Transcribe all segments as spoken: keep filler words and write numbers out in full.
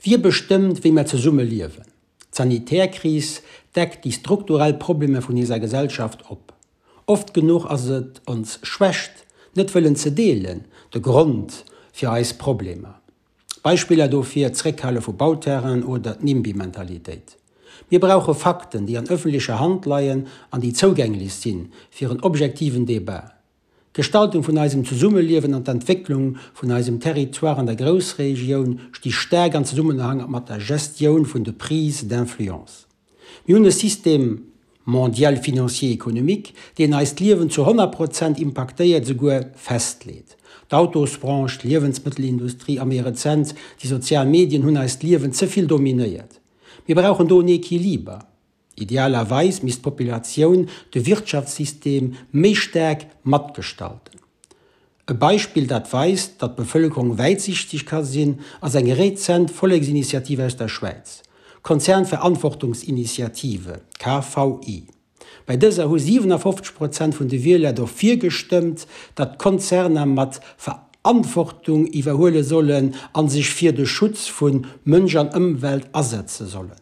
Wie bestëmmt, wéi mer zesumme liewen? D'Sanitärkris deckt déi strukturell Problemer vun eiser Gesellschaft op. Oft genuch ass et ons Schwächt, net wëllen ze deelen, de Grond fir eis Problemer. Beispiller dofir, d'Zréckhale vu Bauterrainen oder d'NIMBY-Mentalitéit. Mir brauche Fakten, déi an ëffentlecher Hand leien an déi zougänglech sinn, fir en objektiven Debat. D'Gestaltung vun eisem Zesummeliewen an d'Entwécklung vun eisem Territoire an der Groussregioun sti staark an Zesummenhang mat der Gestioun vun de Prises d'influence. Mir hunn e Système mondial financier économique, deen eist Liewen zu honnert Prozent impaktéiert, souguer festleet. D'Autosbranche, d'Liewensmëttelindustrie a méi rezent déi sozial Medien hunn eist Liewen ze vill dominéiert. Mir brauchen do en Equiliber. Idealerweis misst d'Populatioun de Wirtschaftssystem méi staark matgestalten. E Beispill, dat weist, datt d'Bevëlkerung wäitsiichteg ka sinn, ass eng rezent Volleksinitiative aus der Schwäiz, d'Konzernverantwortungsinitiative, K V I. Bei dëser hu siwenafofzeg Prozent vun de Wieler dofir gestëmmt, datt d'Konzerner mat Verantwortung iwwerhuele sollen a sech fir de Schutz vu Mënsch an Ëmwelt asetze sollen.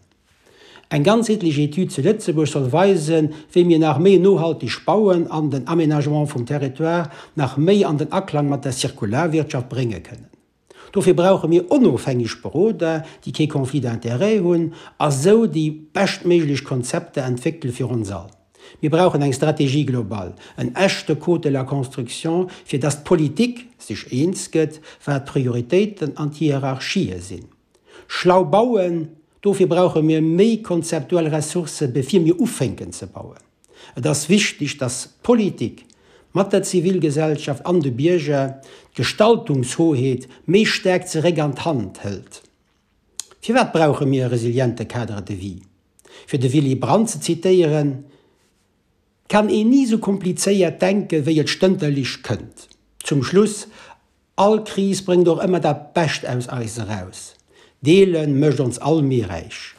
Eng ganzheetlech Etüd zu Lëtzebuerg soll weisen, wéi mir nach méi nohalteg bauen an den Aménagement vum Territoire nach méi an den Aklang mat der Zirkularwirtschaft brénge kënnen. Dofir brauche mir onofhängeg Beroder, déi kee Conflit d'intérêt hunn a sou déi beschtméiglech Konzepter entwéckele fir ons all. Mir brauchen eng Stratégie globale, en echte Code de la construction, fir dass d'Politik sech eens gëtt, wat d'Prioritéiten an d'Hierarchië sinn. Schlau bauen, dofir brauche mir méi konzeptuell Ressourcë bevir mir ufänken ze bauen. Et ass wichteg, dass d'Politik mat der Zivilgesellschaft an de Bierger d'Gestaltungshoheet méi staark zeréck an d'Hand hëlt. Firwat brauche mir e resiliente Cadre de vie? Fir de Willy Brandt ze zitéieren, Kann een ni sou komplizéiert denken, wéi et stënterlech kënnt. Zum Schluss, All Kris bréngt och ëmmer dat Bescht aus eis eraus. Deele mécht ons all méi räich.